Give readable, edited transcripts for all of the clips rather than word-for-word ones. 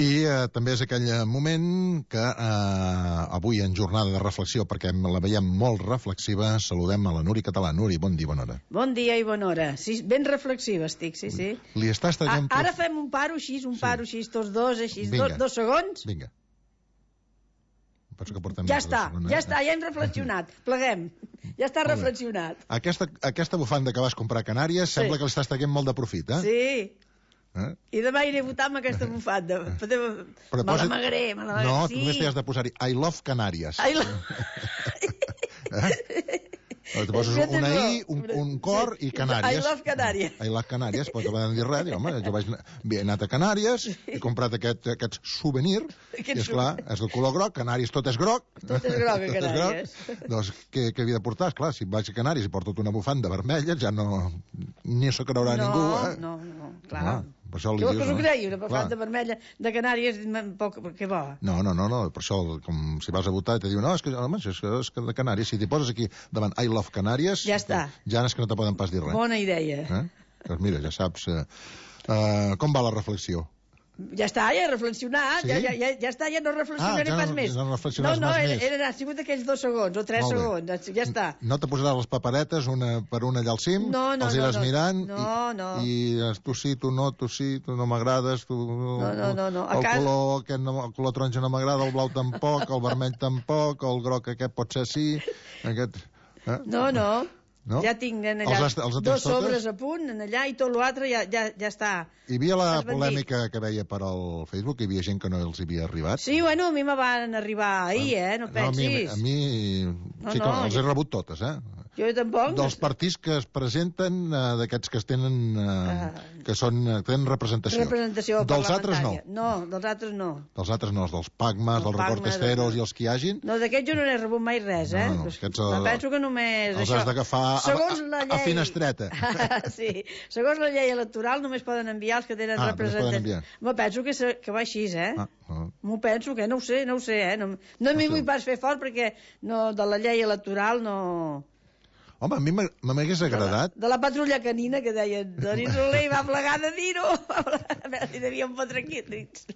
I també és aquell moment que avui en jornada de reflexió, perquè la veiem molt reflexiva, saludem a la Nuri Català. Nuri, bon dia, bona hora. Bon dia i bona hora. Sí, ben reflexiva estic, sí. Li estàs traient... Ara fem un paro així, tots dos, així, dos segons. Vinga. Ja està, ja hem reflexionat. Pleguem. Ja està reflexionat. Aquesta bufanda que vas comprar a Canàries sembla que l'estàs traient molt de profit, eh? Sí. I demà iré a votar amb aquesta bufanda. Me l'amagaré. No, tu només t'hi has de posar-hi I love Canàries. Te poses una I, un cor i Canàries. I love Canàries. I love Canàries, però no van dir res. Home, jo he anat a Canàries, he comprat aquest souvenir, i esclar, és del color groc, Canàries tot és groc. Tot és groc a Canàries. Doncs què havia de portar? Esclar, si vaig a Canàries i porto una bufanda vermella, ja no... ni s'ho creurà ningú, eh? No, clar. Per això li dius, no? Us ho creieu, una bufanda vermella de Canàries, què va? No, per això, com si vas a votar i te diuen, no, és que de Canàries, si t'hi poses aquí davant I love Canàries, ja està. Ja és que no te poden pas dir res. Bona idea. Doncs mira, ja saps com va la reflexió. Ja està, ja he reflexionat, ja està, ja no reflexionaré pas més. No, ha sigut aquells 2 segons o 3 segons, ja està. No te posaràs les paperetes una per una allà al cim, els iràs mirant, i tu sí, tu no m'agrades, el color taronja no m'agrada, el blau tampoc, el vermell tampoc, el groc aquest pot ser sí, aquest... No? Ja tinc allà 2 sobres a punt, allà, i tot l'altre ja està. Hi havia la polèmica que veia per al Facebook, hi havia gent que no els havia arribat. Sí, bueno, a mi me van arribar ahir, no pensis. A mi sí que els he rebut totes, Jo tampoc. Dels partits que es presenten, d'aquests que tenen representació. Dels altres no. No, dels altres no. Dels altres no, els dels PACMAs, dels recortesteros i els que hi hagin. No, d'aquests jo no n'he rebut mai res, penso que només els has d'agafar a finestreta. Sí, segons la llei electoral només poden enviar els que tenen representació. Me penso que va així, M'ho penso que no ho sé, no m'hi vull pas fer fort perquè de la llei electoral no... Home, a mi m'hagués agradat... De la patrulla canina, que deien, Doni Soler va plegar de dir-ho. A veure si devíem fotre aquí.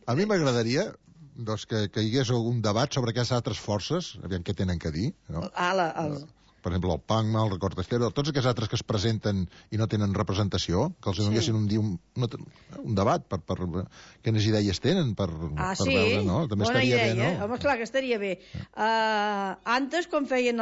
A mi m'agradaria que hi hagués algun debat sobre aquestes altres forces, aviam què tenen que dir, no? Per exemple, el PACMA, el recortestero, tots aquests altres que es presenten i no tenen representació, que els donessin un debat per quines idees tenen per veure, no? També bona estaria idea, bé, no? Home, clar que estaria bé. Antes, quan feien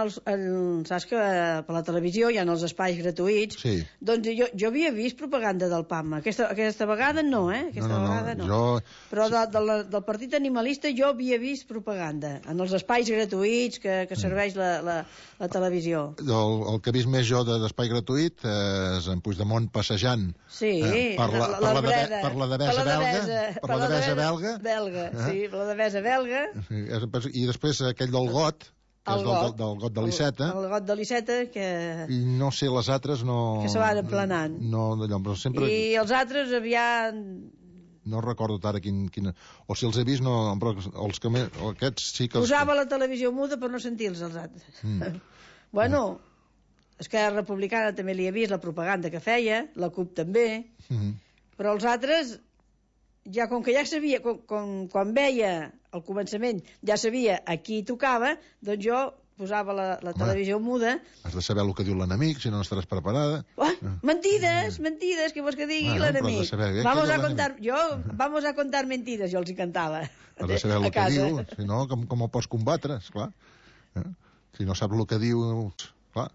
saps que per la televisió hi ha els espais gratuïts, doncs jo havia vist propaganda del PACMA. Aquesta vegada no, Aquesta vegada no. Però del partit animalista jo havia vist propaganda en els espais gratuïts que serveix la televisió. El que he vist més jo d'espai gratuït és en Puigdemont passejant per la devesa belga. Sí, per la devesa belga. I després aquell del got, que és del got de l'Iceta. El got de l'Iceta, que... I no sé, les altres no... Que se van emplenant. No, d'allò, però sempre... I els altres aviat... No recordo ara quin... O si els he vist, no... Però aquests sí que... Posava la televisió muda per no sentir-los, els altres. Bueno, Esquerra Republicana també li he vist la propaganda que feia, la CUP també, però els altres, ja com que ja sabia, quan veia al començament, ja sabia a qui tocava, doncs jo posava la televisió muda. Has de saber el que diu l'enemic, si no estaràs preparada. Mentides, què vols que digui l'enemic? Vamos a contar mentides, jo els hi cantava. Has de saber el que diu, si no, com ho pots combatre, esclar. Si no saps el que diu, clar.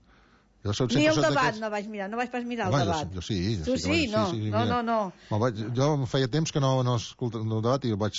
Ni el debat no vaig mirar, no vaig pas mirar el debat. Jo sí. Tu sí? No. Jo feia temps que no escoltava el debat i ho vaig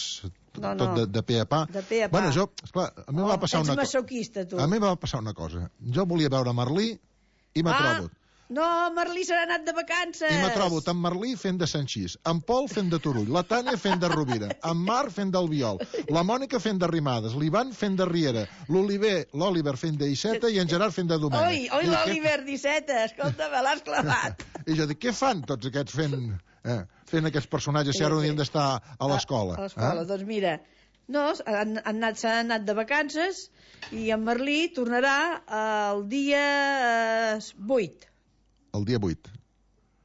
tot de pe a pa. Bueno, esclar, a mi em va passar una cosa. Ets masoquista, tu. A mi em va passar una cosa. Jo volia veure Merlí i m'ha trobat. No, Merlí se n'ha anat de vacances. I m'ha trobat en Merlí fent de Sanxís, en Pol fent de Turull, la Tània fent de Rovira, en Marc fent d'Albiol, la Mònica fent de Rimades, l'Ivan fent de Riera, l'Oliver fent d'Iceta i en Gerard fent de Domènec. Oi, l'Oliver d'Iceta, escolta, me l'has clavat. I jo dic, què fan tots aquests fent aquests personatges si ara haurien d'estar a l'escola? A l'escola, doncs mira... No, s'han anat de vacances i en Merlí tornarà el dia 8. El dia 8.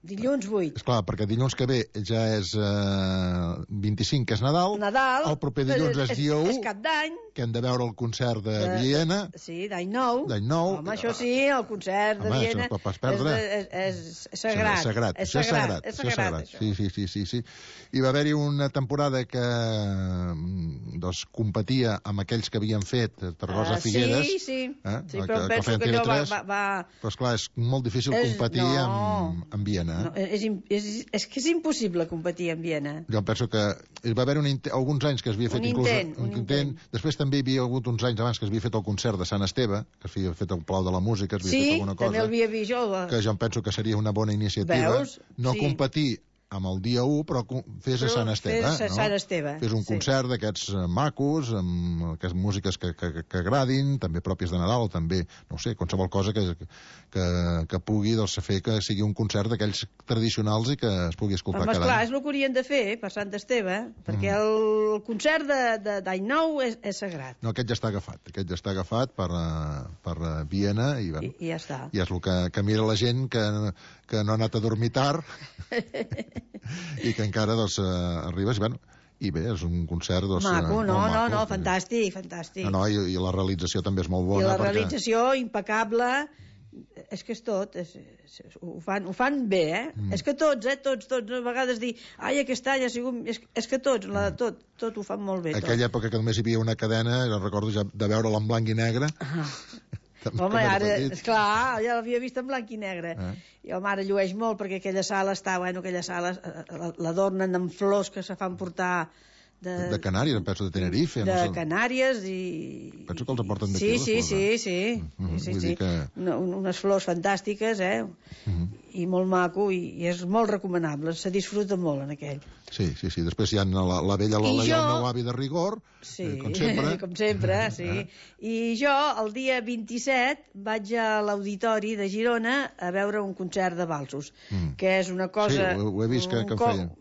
Dilluns 8. Esclar, perquè dilluns que ve ja és 25, que és Nadal. El proper dilluns és dia 1. És Cap d'Any. Que hem de veure el concert de Viena. Sí, d'Any Nou. Home, això sí, el concert de Viena. Home, això pas perdre. És sagrat. És sagrat. Sí. I va haver-hi una temporada que competia amb aquells que havien fet Tarragona Figueres. Sí, però penso que allò va... Però esclar, és molt difícil competir amb Viena. No, és que és impossible competir en Viena. Jo penso que hi va haver alguns anys que es havia fet un intent. Després també hi havia hagut uns anys abans que es havia fet el concert de Sant Esteve, que s'havia fet el Palau de la Música, es havia fet alguna cosa. Sí, també l'havia vist jo. Que jo em penso que seria una bona iniciativa. Veus? No competir amb el dia 1, però fes a Sant Esteve. Fes un concert d'aquests macos, amb aquestes músiques que agradin, també pròpies de Nadal, o també, no sé, qualsevol cosa que pugui fer que sigui un concert d'aquells tradicionals i que es pugui escoltar cada any. Clar, és el que haurien de fer per Sant Esteve, perquè el concert d'Any Nou és sagrat. No, aquest ja està agafat per Viena i ja està. I és el que mira la gent que no ha anat a dormir tard i que encara arribes i bé, és un concert maco, no, fantàstic. I la realització també és molt bona. I la realització impecable, és que és tot, ho fan bé, és que tots, a vegades dir, aquest any ha sigut, és que tots ho fan molt bé. Aquella època que només hi havia una cadena, jo recordo ja de veure'la en blanc i negre. Home, ara, esclar, ja l'havia vist en blanc i negre. I el mare llueix molt perquè aquella sala l'adornen amb flors que se fan portar de Canàries, penso de Tenerife. De Canàries i... Penso que els aporten d'aquí. Sí. Unes flors fantàstiques, i molt maco, i és molt recomanable, se disfruta molt en aquell. Sí. Després hi ha la vella Lola i el meu avi de rigor, com sempre, sí. I jo, el dia 27, vaig a l'Auditori de Girona a veure un concert de valsos, que és una cosa... Sí, ho he vist que en feien.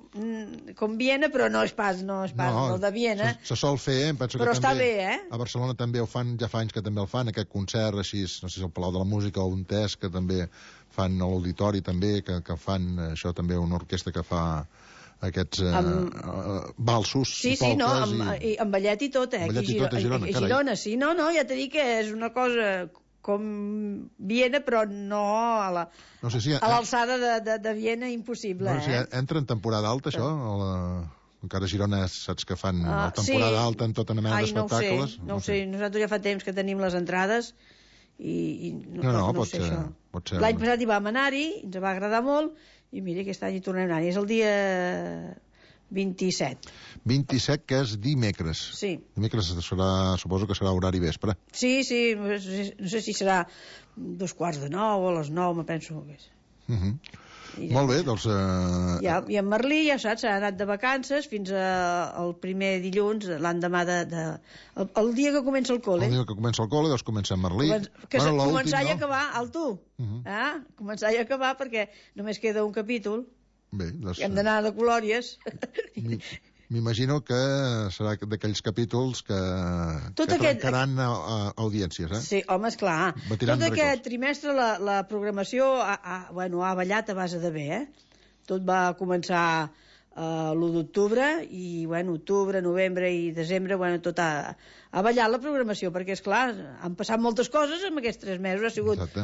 Com Viena, però no és pas el de Viena. Se sol fer, penso que però també... Però està bé, A Barcelona també ho fan, ja fa anys que també el fan, aquest concert així, no sé si el Palau de la Música o un test que també fan a l'Auditori també, que fan això també una orquestra que fa aquests valsos i polques. Sí, amb ballet i tot, Ballet i tot a Girona, carai. Girona, sí, no, ja t'he dit que és una cosa com Viena, però no a l'alçada de Viena, impossible. No sé si entra en temporada alta, això? Encara a Girona saps que fan temporada alta en tota mena d'espectacles? No ho sé, nosaltres ja fa temps que tenim les entrades i no sé això. Pot ser. L'any passat hi vam anar-hi, ens va agradar molt, i mira, aquest any hi tornem a anar-hi. És el dia 27. 27, que és dimecres. Sí. Dimecres suposo que serà horari vespre. Sí, no sé si serà 2:15 o a les 9, me penso que és. Molt bé, doncs... I en Merlí, ja saps, ha anat de vacances fins al primer dilluns, l'endemà el dia que comença el col·le. El dia que comença el col·le, doncs comença en Merlí. Començar i acabar, al tu. Començar i acabar, perquè només queda un capítol. Bé, doncs... Hem d'anar de colòries. M'imagino que serà d'aquells capítols que trencaran audiències, Sí, home, esclar. Tot aquest trimestre la programació ha ballat a base de bé, Tot va començar l'1 d'octubre i, octubre, novembre i desembre, tot ha ballat la programació, perquè, esclar, han passat moltes coses en aquests 3 mesos.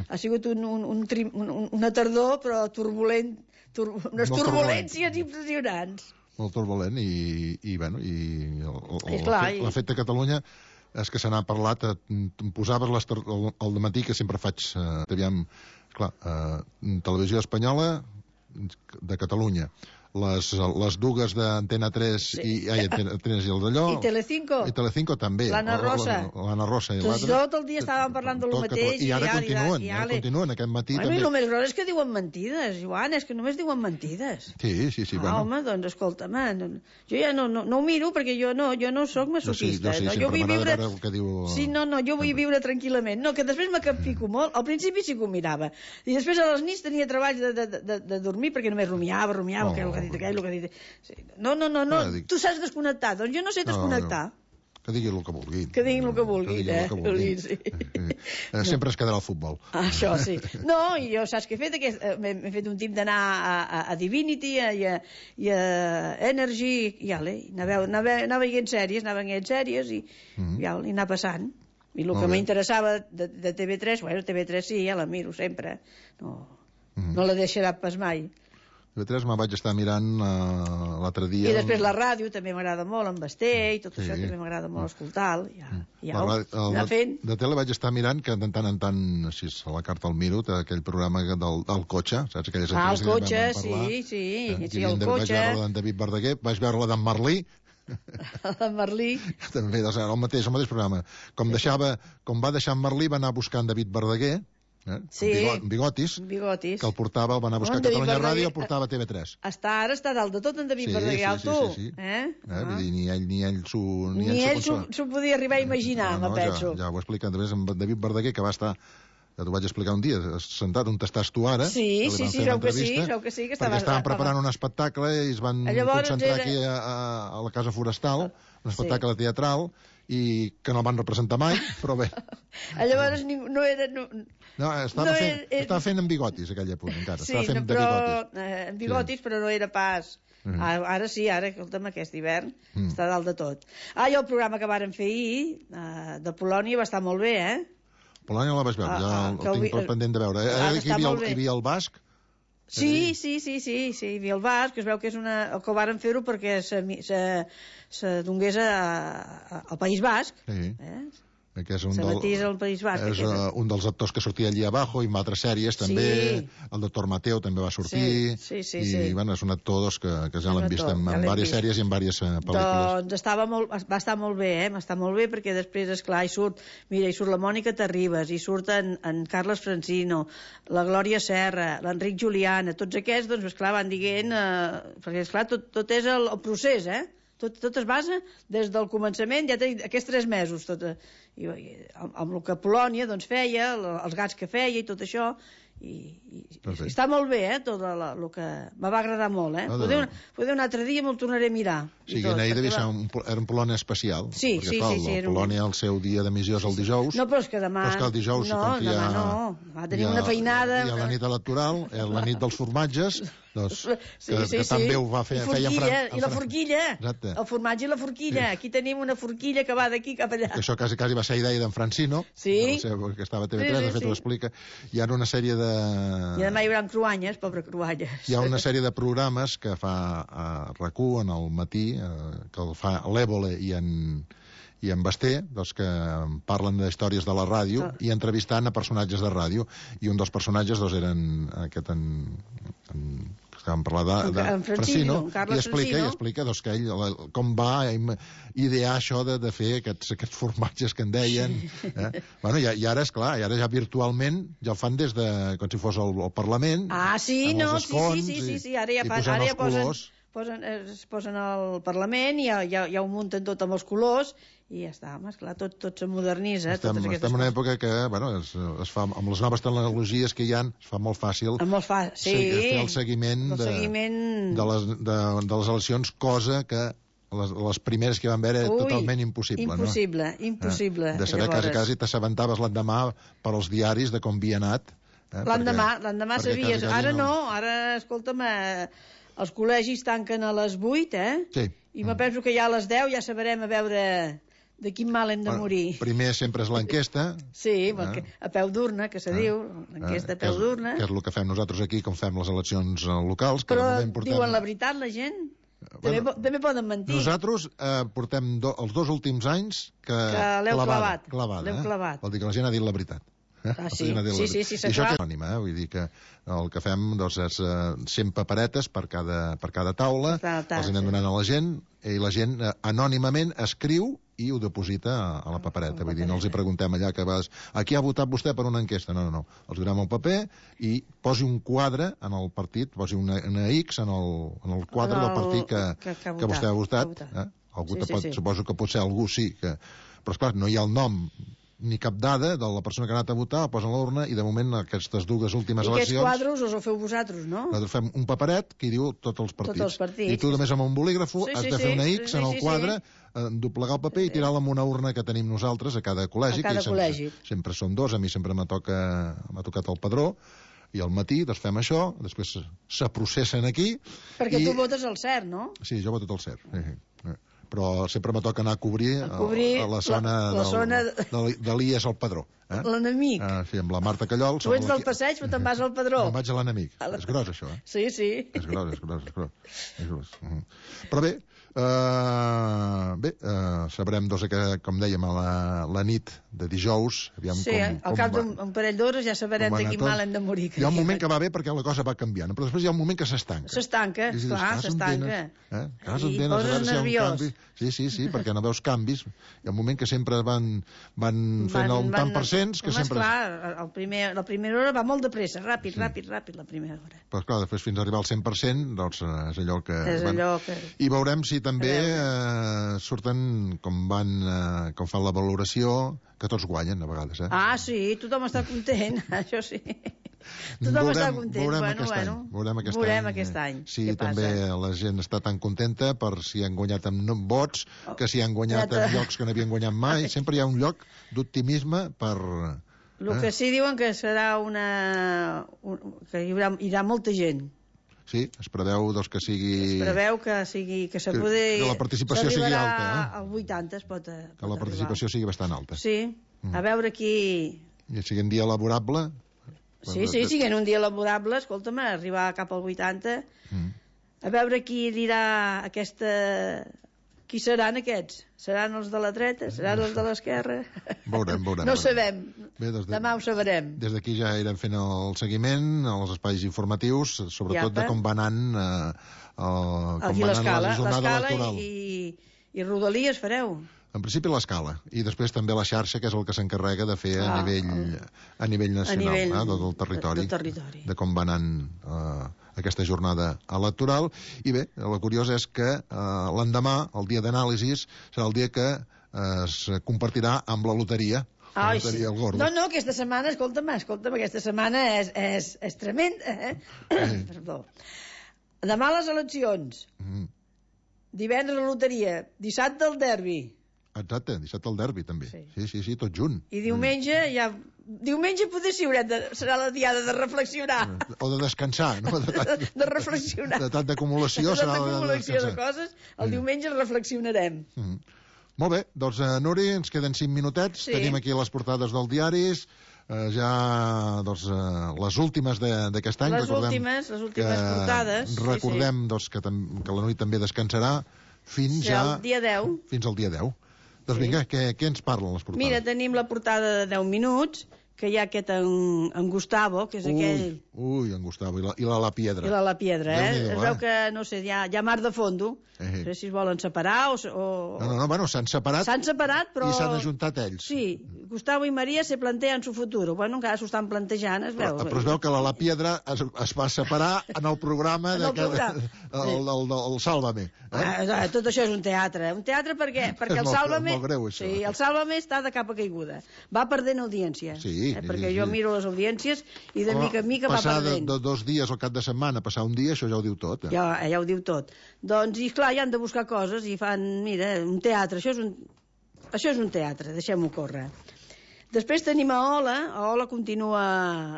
Ha sigut una tardor, però turbulent, unes turbulències impressionants. Molt turbulent l'efecte Catalunya és que se n'ha parlat, posaves al dematí, que sempre faig televisió espanyola de Catalunya, les dues d'Antena 3 i el d'allò i Telecinco també, l'Anna Rosa i l'altre, tot el dia estàvem parlant del mateix i ara continuen aquest matí també. I el més gros és que diuen mentides, Joan, és que només diuen mentides. Sí, home, doncs escolta'm, jo ja no ho miro perquè jo no soc masoquista, jo vull viure jo vull viure tranquil·lament, que després me capfico molt. Al principi sí que ho mirava i després a les nits tenia treball de dormir perquè només rumiava que ha dit aquell, el que ha dit... No, tu saps desconnectar, doncs jo no sé desconnectar. Que diguin el que vulguin. Que diguin el que vulguin, sí. Sempre es quedarà el futbol. Això sí. No, i jo saps què he fet? M'he fet un tip d'anar a Divinity i a Energy, i anar veient sèries, i anar passant. I el que m'interessava de TV3, bueno, TV3 sí, ja la miro sempre. No la deixarà pas mai. TV3 me'n vaig estar mirant l'altre dia... I després la ràdio també m'agrada molt, en Basté, i tot això també m'agrada molt escoltar. De tele vaig estar mirant, que de tant en tant, així a la carta al miro, aquell programa del cotxe, saps? El cotxe, sí, el cotxe. Vaig veure d'en David Verdaguer, vaig veure la d'en Merlí, el Merlí. També, el mateix programa. Com va deixar en Merlí, va anar buscant David Verdaguer, Bigotis, que el portava, el va anar a buscar a Catalunya Ràdio i el portava a TV3. Ara està dalt de tot en David Verdaguer, tu. Ni ell s'ho podia arribar a imaginar, me penso. Ja ho he explicat també amb David Verdaguer, que va estar, ja t'ho vaig explicar un dia, sentat on estàs tu ara. Sí, creu que sí. Perquè estaven preparant un espectacle i es van concentrar aquí a la Casa Forestal, un espectacle teatral, i que no el van representar mai, però bé. Llavors no era... No, estava fent en Bigotis, aquella època, encara. Sí, en Bigotis, però no era pas... Ara sí, escolta'm, aquest hivern està dalt de tot. I el programa que varen fer ahir, de Polònia, va estar molt bé, Polònia la vaig veure, ja el tinc pendent de veure. Hi havia el basc? Sí, hi havia el basc, que es veu que és que ho varen fer-ho perquè se donés al País Basc. Que és un dels actors que sortia allí abajo, i en altres sèries també, el doctor Mateo també va sortir, i bueno, és un actor que ja l'hem vist en diverses sèries i en diverses pel·lícules. Doncs va estar molt bé, està molt bé, perquè després, esclar, hi surt la Mònica Terribas, hi surt en Carles Francino, la Glòria Serra, l'Enric Juliana, tots aquests, doncs, esclar, van dient, perquè, esclar, tot és el procés, tot es basa des del començament, ja tenim aquests 3 mesos, amb el que Polònia feia, els gats que feia i tot això, i està molt bé, tot el que me va agradar molt, Poder un altre dia me'l tornaré a mirar. Sí, ahir devia ser un Polònia especial, perquè Polònia el seu dia d'emissió és el dijous. No, però és que demà... Però és que el dijous, demà tenim una feinada... Hi ha la nit electoral, la nit dels formatges, que també ho va fer... I la forquilla, el formatge i la forquilla. Aquí tenim una forquilla que va d'aquí cap allà. Això quasi va ser idea d'en Francino, que estava a TV3, de fet ho explica. Hi ha una sèrie de... I demà hi haurà cruanyes, pobre cruanyes. Hi ha una sèrie de programes que fa a RAC1 en el matí, que el fa l'Évole i en Basté, que parlen d'històries de la ràdio i entrevistant a personatges de ràdio, i un dels personatges eren aquest estàvem parlant de Francino, i explica que ell com va idear això de fer aquests formatges que en deien. Bueno, i ara, esclar, ja virtualment ja el fan des de com si fos el Parlament, amb els escons, i posant els colors. Es posen al Parlament i ja ho munten tot amb els colors i ja està, esclar, tot se modernitza. Estem en una època que es fa, amb les noves tecnologies que hi ha, es fa molt fàcil fer el seguiment de les eleccions, cosa que les primeres que van veure era totalment impossible. Impossible. De saber quasi t'assabentaves l'endemà per als diaris de com havia anat. L'endemà sabies. Ara no, ara, escolta'm, els col·legis tanquen a les 8, i me penso que ja a les 10 ja sabrem a veure de quin mal hem de morir. Primer sempre és l'enquesta. Sí, a peu d'urna, que se diu, l'enquesta a peu d'urna. Que és el que fem nosaltres aquí, com fem les eleccions locals. Però diuen la veritat, la gent? També poden mentir. Nosaltres portem els 2 últims anys que l'heu clavat. Vol dir que la gent ha dit la veritat. Sí, i això que és anònima, vull dir que el que fem és 100 paperetes per cada taula, els anem donant a la gent, i la gent anònimament escriu i ho deposita a la papereta. Vull dir, no els hi preguntem allà que vas... A qui ha votat vostè per una enquesta? No. Els donem un paper i posi un quadre en el partit, posi una X en el quadre del partit que vostè ha votat. Suposo que potser algú sí, però esclar, no hi ha el nom ni cap dada de la persona que ha anat a votar, la posen a l'urna, i de moment aquestes dues últimes eleccions... I aquests quadros els ho feu vosaltres, no? Nosaltres fem un paperet que hi diu tots els partits. I tu només amb un bolígrafo has de fer una X en el quadre, doblegar el paper i tirar-la en una urna que tenim nosaltres a cada col·legi. A cada col·legi. Sempre som dos, a mi sempre m'ha tocat el padró, i al matí doncs fem això, després se processen aquí... Perquè tu votes el cert, no? Sí, jo voto el cert. Però sempre me toca anar a cobrir la zona de l'IES al Padró. L'enemic. Sí, amb la Marta Callol. Tu ets del passeig, però te'n vas al Padró. Me'n vaig a l'enemic. És gros, això, Sí. És gros. Però bé, sabrem, com dèiem, a la nit de dijous... Sí, al cap d'un parell d'hores ja sabrem de quin mal hem de morir. Hi ha un moment que va bé perquè la cosa va canviant, però després hi ha un moment que s'estanca. S'estanca, clar, s'estanca. I poses nerviós. Sí, perquè no veus canvis. Hi ha un moment que sempre van fent un tant per cents... Home, esclar, la primera hora va molt de pressa, ràpid, la primera hora. Però clar, després fins a arribar al 100%, doncs és allò que... I veurem si també surten com fan la valoració, que tots guanyen a vegades. Ah, sí, tothom està content, això sí. Tothom està content. Veurem aquest any. Si també la gent està tan contenta per si han guanyat amb vots, que si han guanyat en llocs que no havien guanyat mai. Sempre hi ha un lloc d'optimisme per... El que sí diuen que serà que hi haurà molta gent. Sí, es preveu que sigui... Es preveu que la participació sigui alta. Al 80 es pot arribar. Que la participació sigui bastant alta. Sí, a veure qui... I sigui un dia laborable... Sí, siguent un dia laborable, escolta'm, arribar cap al 80, a veure qui dirà aquesta... Qui seran aquests? Seran els de la dreta? Seran els de l'esquerra? Veurem. No sabem. Demà ho sabrem. Des d'aquí ja irem fent el seguiment, els espais informatius, sobretot de com va anant la jornada electoral. I Rodalies fareu? En principi l'escala, i després també la xarxa, que és el que s'encarrega de fer a nivell nacional, del territori, de com va anant aquesta jornada electoral. I bé, la curiosa és que l'endemà, el dia d'anàlisis, serà el dia que es compartirà amb la loteria. No, aquesta setmana, escolta'm, aquesta setmana és tremenda, Perdó. Demà les eleccions, divendres la loteria, dissabte el derbi. Exacte, dissabte el derbi també. Sí, tot junt. I diumenge Diumenge potser sí serà la diada de reflexionar. O de descansar, no? De reflexionar. De tant d'acumulació serà la de descansar. De coses, el diumenge reflexionarem. Molt bé, doncs Nuri, ens queden 5 minutets. Tenim aquí les portades dels diaris. Ja, doncs, les últimes d'aquest any. Les últimes portades. Recordem que la Nuri també descansarà fins al dia 10. Fins al dia 10. Doncs vinga, què ens parlen les portades? Mira, tenim la portada de 10 minuts, que hi ha aquest en Gustavo, que és aquell... Ui, en Gustavo, i la Piedra. I la Piedra, Es veu que, no sé, hi ha mar de fondo. No sé si es volen separar o... No, bueno, s'han separat. S'han separat, però... I s'han ajuntat ells. Sí, Gustavo i Maria se plantean su futuro. Bueno, encara s'ho estan plantejant, es veu. Però es veu que la Piedra es va separar en el programa el Sálvame. Tot això és un teatre. Un teatre perquè el Sálvame... És molt greu, això. Sí, el Sálvame està de capa caiguda. Va perdent audiència. Sí. Perquè jo miro les audiències i de mica en mica va perdent. Passar de 2 dies al cap de setmana, passar un dia, això ja ho diu tot. Ja ho diu tot. Doncs, i clar, ja han de buscar coses i fan, mira, un teatre. Això és un teatre, deixem-ho córrer. Després tenim a Ola continua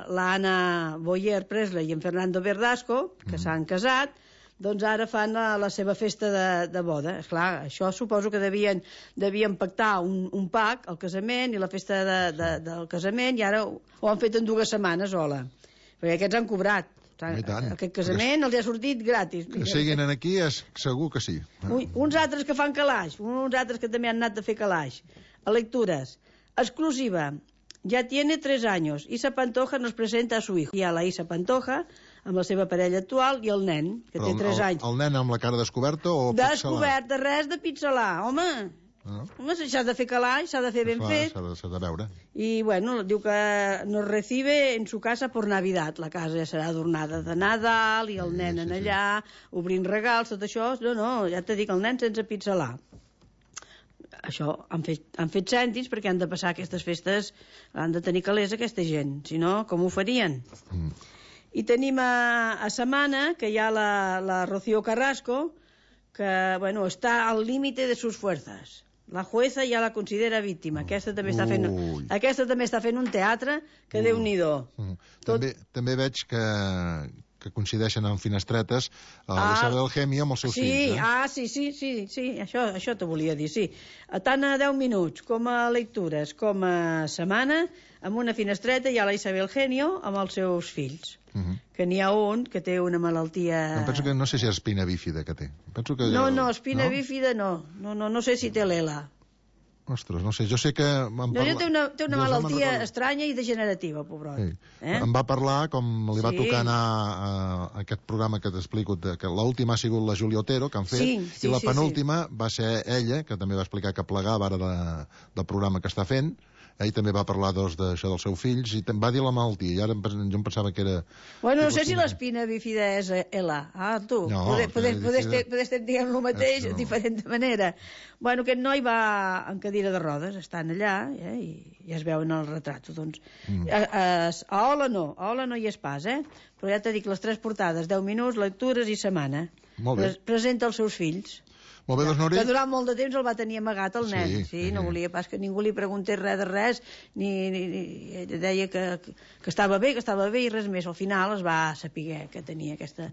l'Anna Boyer Presley i en Fernando Verdasco, que s'han casat, doncs ara fan la seva festa de boda. Esclar, això suposo que devien pactar un pack, el casament i la festa del casament, i ara ho han fet en 2 setmanes, Ola. Perquè aquests han cobrat. Aquest casament els ha sortit gratis. Que siguin aquí, segur que sí. Uns altres que fan calaix, uns altres que també han anat a fer calaix. A lectures. Exclusiva. Ya tiene 3 años. Isa Pantoja nos presenta a su hijo. Hi ha la Isa Pantoja, amb la seva parella actual, i el nen, que té 3 anys. El nen amb la cara descoberta o pixelar? Descoberta, res de pixelar. Home, s'ha de fer calaix, s'ha de fer ben fet. S'ha de veure. I, bueno, diu que nos recibe en su casa por Navidad. La casa ja serà adornada de Nadal i el nen en allà, obrint regals, tot això. No, ja t'he dit, el nen sense pixelar. això, han fet cèntims perquè han de passar aquestes festes, han de tenir calés aquesta gent, si no, com ho farien? I tenim a Samana, que hi ha la Rocío Carrasco, que, bueno, està al límite de sus fuerzas. La jueza ja la considera víctima. Aquesta també està fent un teatre que Déu-n'hi-do. També veig que coincideixen en finestretes l'Isabel Gemio amb els seus fills. Sí, això t'ho volia dir, sí. Tant a 10 minuts com a lectures com a setmana, amb una finestreta hi ha la Isabel Genio amb els seus fills. Que n'hi ha un que té una malaltia... Penso que no sé si és espina bífida que té. No, espina bífida no. No sé si té l'ELA. Ostres, no sé, jo sé que... Té una malaltia estranya i degenerativa, pobrot. Em va parlar, com li va tocar anar a aquest programa que t'explico, que l'última ha sigut la Júlia Otero, que han fet, i la penúltima va ser ella, que també va explicar que plegava ara del programa que està fent. Ell també va parlar d'això dels seus fills i va dir la malaltia, i ara jo em pensava que era... Bueno, no sé si l'espina bífida és ELA. Tu, poder estar dient el mateix de diferent manera. Bueno, aquest noi va en cadira de rodes, estan allà, i ja es veu en el retrat. Doncs, a Ola no hi és pas, però ja t'he dit les 3 portades, 10 minuts, lectures i setmana. Presenta els seus fills. Molt bé, doncs, Nori. Que durant molt de temps el va tenir amagat el nen. Sí, no volia pas que ningú li preguntés res de res, ni deia que estava bé, i res més. Al final es va saber que tenia aquesta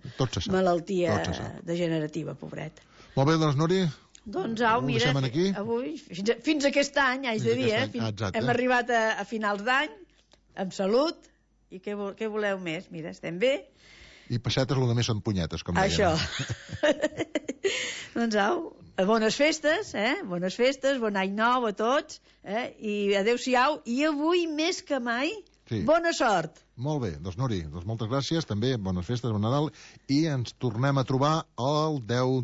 malaltia degenerativa, pobret. Molt bé, doncs, Nori. Doncs au, mira, avui, fins aquest any, haig de dir, hem arribat a finals d'any, amb salut, i què voleu més? Mira, estem bé. I peixetes, el que més són punyetes, com deien. Això. Doncs au, bones festes, bon any nou a tots, i adeu-siau, i avui més que mai, bona sort. Molt bé, doncs Nori, moltes gràcies, també bones festes, bon Nadal, i ens tornem a trobar el 10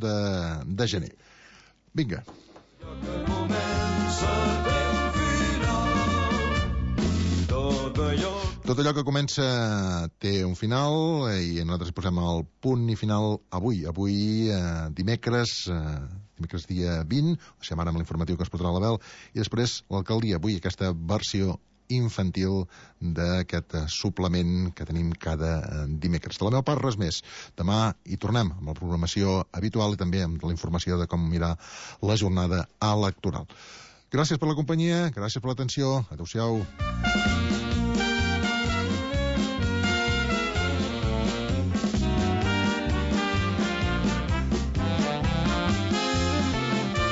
de gener. Vinga. Tot allò que comença té un final i nosaltres posem el punt i final avui dimecres dia 20, o sigui, ara amb l'informatiu que es portarà a l'Abel, i després l'alcaldia, avui aquesta versió infantil d'aquest suplement que tenim cada dimecres. De la meva part, res més. Demà hi tornem amb la programació habitual i també amb la informació de com mirar la jornada electoral. Gràcies per la companyia, gràcies per l'atenció, adeu-siau.